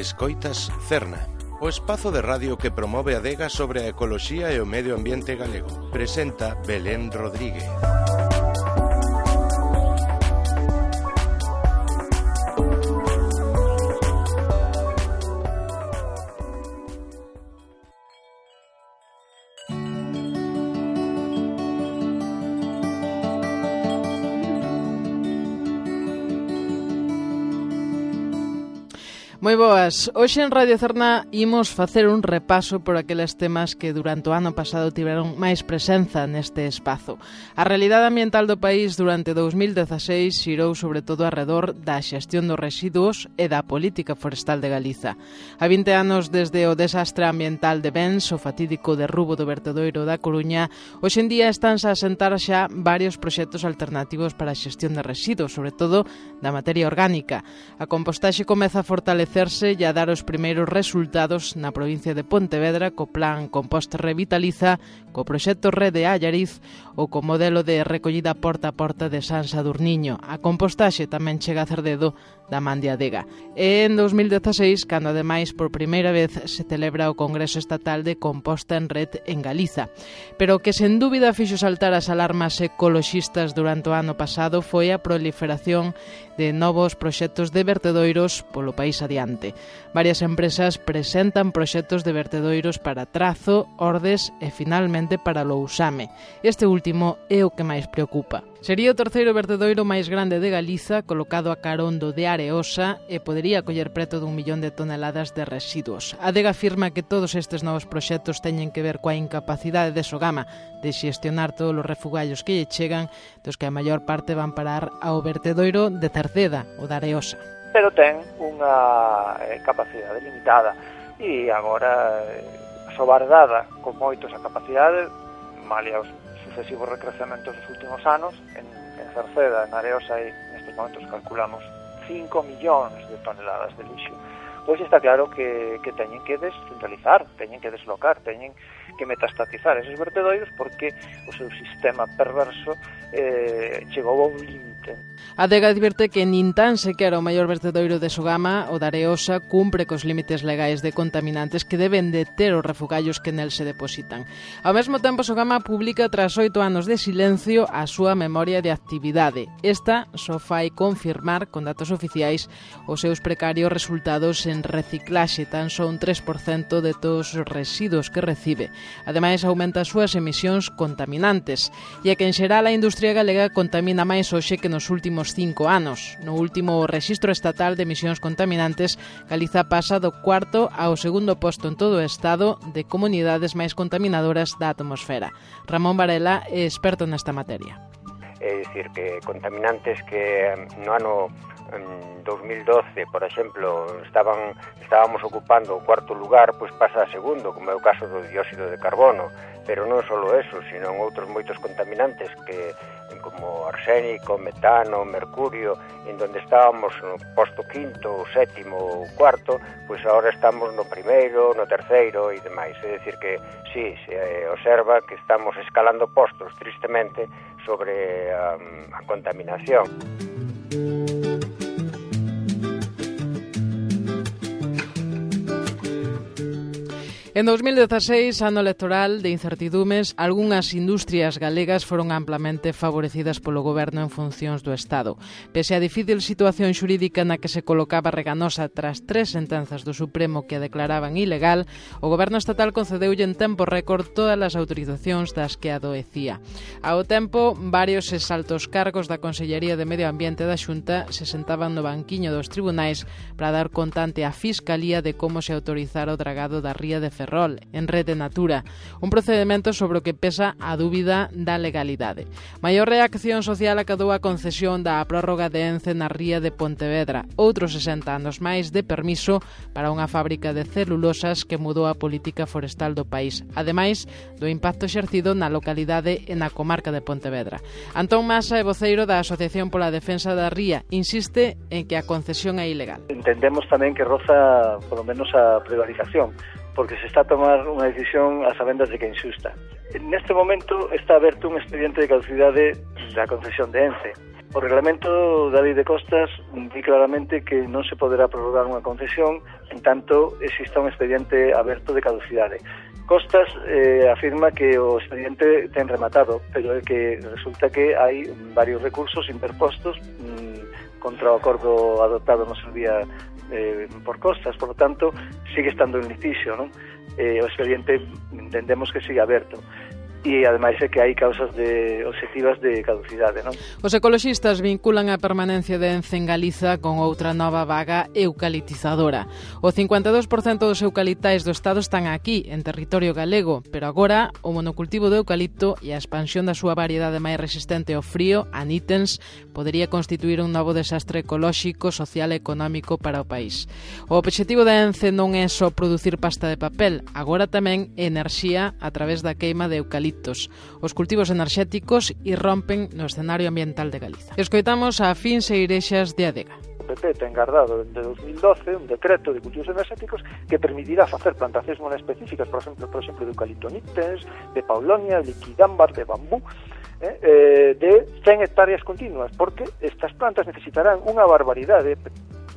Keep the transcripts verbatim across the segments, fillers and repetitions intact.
Escoitas Cerna, o espazo de radio que promove a adega sobre a ecoloxía e o medio ambiente galego. Presenta Belén Rodríguez. Moi boas, hoxe en Radio Cerna imos facer un repaso por aqueles temas que durante o ano pasado tiveron máis presenza neste espazo. A realidade ambiental do país durante dous mil dezaseis xirou sobre todo arredor da xestión dos residuos e da política forestal de Galiza. A vinte anos desde o desastre ambiental de Bens, o fatídico derrubo do vertedoiro da Coruña, hoxe en día estánse a asentar xa varios proxectos alternativos para a xestión de residuos, sobre todo da materia orgánica. A compostaxe comeza a fortalecer e a dar os primeiros resultados na provincia de Pontevedra co plan Compost Revitaliza, co proxecto Rede Allariz ou co modelo de recollida porta a porta de San Sadurniño. A compostaxe tamén chega a Cerdedo da man de Adega. E en dous mil dezaseis, cando ademais por primeira vez se celebra o Congreso Estatal de Composta en Red en Galiza. Pero o que sen dúbida fixo saltar as alarmas ecoloxistas durante o ano pasado foi a proliferación de novos proxectos de vertedoiros polo país adiante. Varias empresas presentan proxectos de vertedoiros para Trazo, Ordes e finalmente para Lousame. Este último é o que máis preocupa. Sería o terceiro vertedoiro máis grande de Galiza, colocado a carón do de Areosa, e podería coller preto dun millón de toneladas de residuos. A Adega afirma que todos estes novos proxectos teñen que ver coa incapacidade de Sogama de xestionar todos os refugallos que lle chegan, dos que a maior parte van parar ao vertedoiro de Cerceda, o de Areosa. Pero ten unha eh, capacidade limitada e agora eh, sobardada con moitos a capacidade, malia os sucesivos recrecementos dos últimos anos en, en Cerceda, en Areosa, e nestes momentos calculamos cinco millóns de toneladas de lixo. Pois está claro que, que teñen que descentralizar, teñen que deslocar, teñen que metastatizar esos vertedoiros porque o seu sistema perverso eh, chegou ao límite. A Adega advirte que nin tan sequera o maior vertedoiro de Sogama, o de Areosa, cumpre cos límites legais de contaminantes que deben de ter os refugallos que nel se depositan. Ao mesmo tempo, Sogama publica tras oito anos de silencio a súa memoria de actividade. Esta só fai confirmar con datos oficiais os seus precarios resultados en reciclaxe, tan só un tres por cento de todos os residuos que recibe. Ademais, aumenta as súas emisións contaminantes, e é que en xeral a industria galega contamina máis hoxe que nos últimos cinco anos. No último rexistro estatal de emisións contaminantes, Galiza pasa do cuarto ao segundo posto en todo o estado de comunidades máis contaminadoras da atmosfera. Ramón Varela é experto nesta materia. É dicir, que contaminantes que no ano dos mil doce, por exemplo, estaban estábamos ocupando o cuarto lugar, pois pasa a segundo, como é o caso do dióxido de carbono, pero non só eso, sino outros moitos contaminantes que como arsénico, metano, mercurio, en donde estábamos no posto quinto, sétimo ou cuarto, pois agora estamos no primeiro, no terceiro e demais. É dicir que, sí, se observa que estamos escalando postos, tristemente, sobre a, a contaminación. En dous mil dezaseis, ano electoral de incertidumes, algunhas industrias galegas foron amplamente favorecidas polo goberno en funcións do Estado. Pese á difícil situación xurídica na que se colocaba Reganosa tras tres sentenzas do Supremo que a declaraban ilegal, o goberno estatal concedeulle en tempo récord todas as autorizacións das que adoecía. Ao tempo, varios exaltos cargos da Consellería de Medio Ambiente da Xunta se sentaban no banquiño dos tribunais para dar conta ante a Fiscalía de como se autorizara o dragado da ría de Ferrol en Rede Natura, un procedimento sobre o que pesa a dúbida da legalidade. Maior reacción social acadou a concesión da prórroga de Ence na ría de Pontevedra, outros sesenta anos máis de permiso para unha fábrica de celulosas que mudou a política forestal do país, ademais do impacto exercido na localidade e na comarca de Pontevedra. Antón Masa é voceiro da Asociación pola Defensa da Ría, insiste en que a concesión é ilegal. Entendemos tamén que roza, polo menos, a prevaricación, porque se está a tomar unha decisión a sabendas de que é injusta. Neste momento está aberto un expediente de caducidade da concesión de Ence. O reglamento da Lei de Costas di claramente que non se poderá prorrogar unha concesión en tanto exista un expediente aberto de caducidade. Costas eh, afirma que o expediente ten rematado, pero é que resulta que hai varios recursos interpostos mmm, contra o acordo adoptado no seu día eh, por Costas, por lo tanto, sigue estando en litigio, non? Eh, o expediente entendemos que sigue aberto. E ademais é que hai causas de obxectivas de caducidade, non? Os ecoloxistas vinculan a permanencia de Ence en Galiza con outra nova vaga eucalitizadora. O cincuenta e dous por cento dos eucaliptais do Estado están aquí, en territorio galego, pero agora o monocultivo do eucalipto e a expansión da súa variedade máis resistente ao frío, a nítens, podería constituir un novo desastre ecolóxico, social e económico para o país. O obxectivo da Ence non é só producir pasta de papel, agora tamén enerxía a través da queima de eucalipto. Os cultivos enerxéticos irrompen no escenario ambiental de Galiza. Escoitamos a Fins e Irexas de Adega. O P P ten guardado de dos mil doce un decreto de cultivos enerxéticos que permitirá facer plantacións monoespecíficas, por exemplo, por exemplo de eucalipto nítens, de paulonia, de liquidámbar, de bambú, eh, eh, de cen hectáreas continuas, porque estas plantas necesitarán unha barbaridade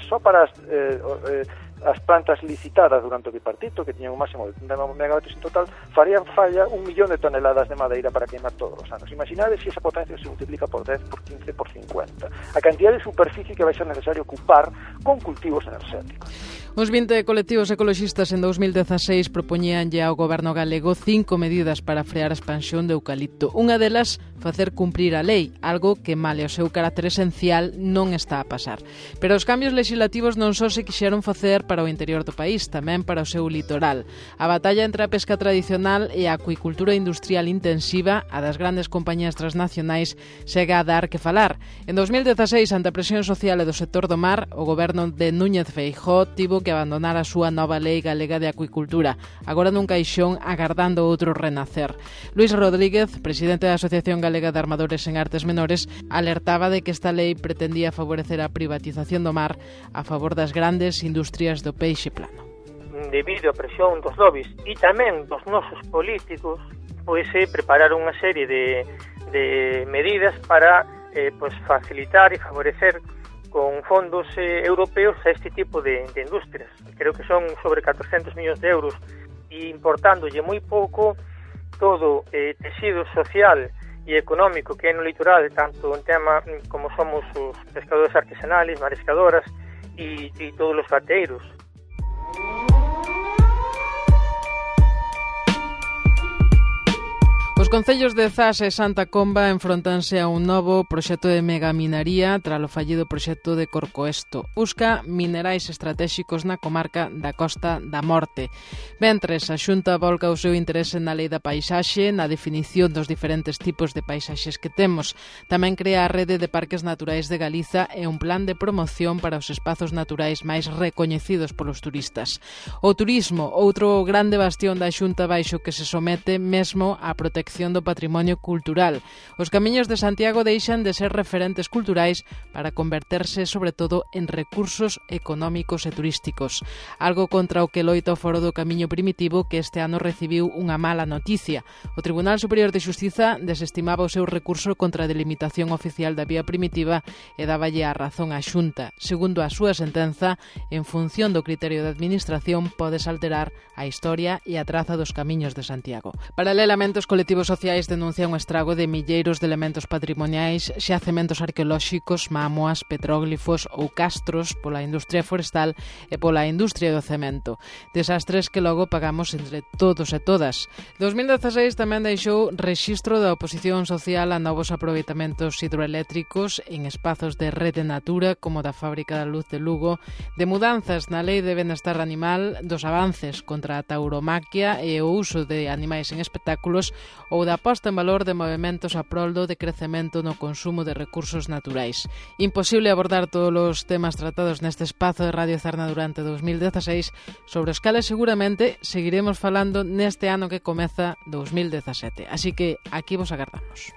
só para as eh, eh, as plantas licitadas durante o bipartito, que tiñan un máximo de trinta megavatios en total, farían falla un millón de toneladas de madeira para queimar todos os anos. Imaginade se esa potencia se multiplica por dez, por quince, por cincuenta. A cantidad de superficie que vai ser necesario ocupar con cultivos enerxéticos. Os vinte colectivos ecoloxistas en dos mil dezaseis propoñíanlle ao goberno galego cinco medidas para frear a expansión de eucalipto. Unha delas, facer cumprir a lei, algo que, male o seu carácter esencial, non está a pasar. Pero os cambios legislativos non só se quixeron facer para o interior do país, tamén para o seu litoral. A batalla entre a pesca tradicional e a acuicultura industrial intensiva, a das grandes compañías transnacionais, segue a dar que falar. En dos mil dezaseis, ante a presión social e do sector do mar, o goberno de Núñez Feijóo tivo que abandonar a súa nova lei galega de acuicultura, agora nun caixón agardando outro renacer. Luís Rodríguez, presidente da Asociación Galega de Armadores en Artes Menores, alertaba de que esta lei pretendía favorecer a privatización do mar a favor das grandes industrias do peixe plano. Debido á presión dos lobbies e tamén dos nosos políticos, pois se prepararon unha serie de, de medidas para eh, pois facilitar e favorecer con fondos eh, europeos a este tipo de, de industrias. Creo que son sobre catrocentos millóns de euros e importándolle moi pouco todo eh, tecido social e económico que é no litoral, tanto en tema como somos os pescadores artesanales, mariscadoras e, e todos os gateiros. Os concellos de Zas e Santa Comba enfrontanse a un novo proxecto de megaminaría tralo fallido proxecto de Corcoesto. Busca minerais estratéxicos na comarca da Costa da Morte. Mentres, a Xunta volca o seu interese na lei da paisaxe, na definición dos diferentes tipos de paisaxes que temos. Tamén crea a rede de parques naturais de Galiza e un plan de promoción para os espazos naturais máis recoñecidos polos turistas. O turismo, outro grande bastión da Xunta baixo que se somete mesmo á protección do patrimonio cultural. Os camiños de Santiago deixan de ser referentes culturais para converterse, sobre todo, en recursos económicos e turísticos. Algo contra o que loita o Foro do Camiño Primitivo, que este ano recibiu unha mala noticia. O Tribunal Superior de Xustiza desestimaba o seu recurso contra a delimitación oficial da vía primitiva e dáballe a razón á Xunta. Segundo a súa sentenza, en función do criterio de administración, podes alterar a historia e a traza dos camiños de Santiago. Paralelamente, os colectivos sociais denuncian o estrago de milleiros de elementos patrimoniais, xacementos arqueolóxicos, mámoas, petróglifos ou castros pola industria forestal e pola industria do cemento. Desastres que logo pagamos entre todos e todas. dos mil dezaseis tamén deixou rexistro da oposición social a novos aproveitamentos hidroeléctricos en espazos de Rede Natura, como da Fábrica da Luz de Lugo, de mudanzas na Lei de Benestar Animal, dos avances contra a tauromaquia e o uso de animais en espectáculos, ou da posta en valor de movementos a prol do decrecemento no consumo de recursos naturais. Imposible abordar todos os temas tratados neste espazo de Radio Cerna durante dos mil dezaseis, sobre os cales seguramente seguiremos falando neste ano que comeza dos mil dezasete. Así que aquí vos agardamos.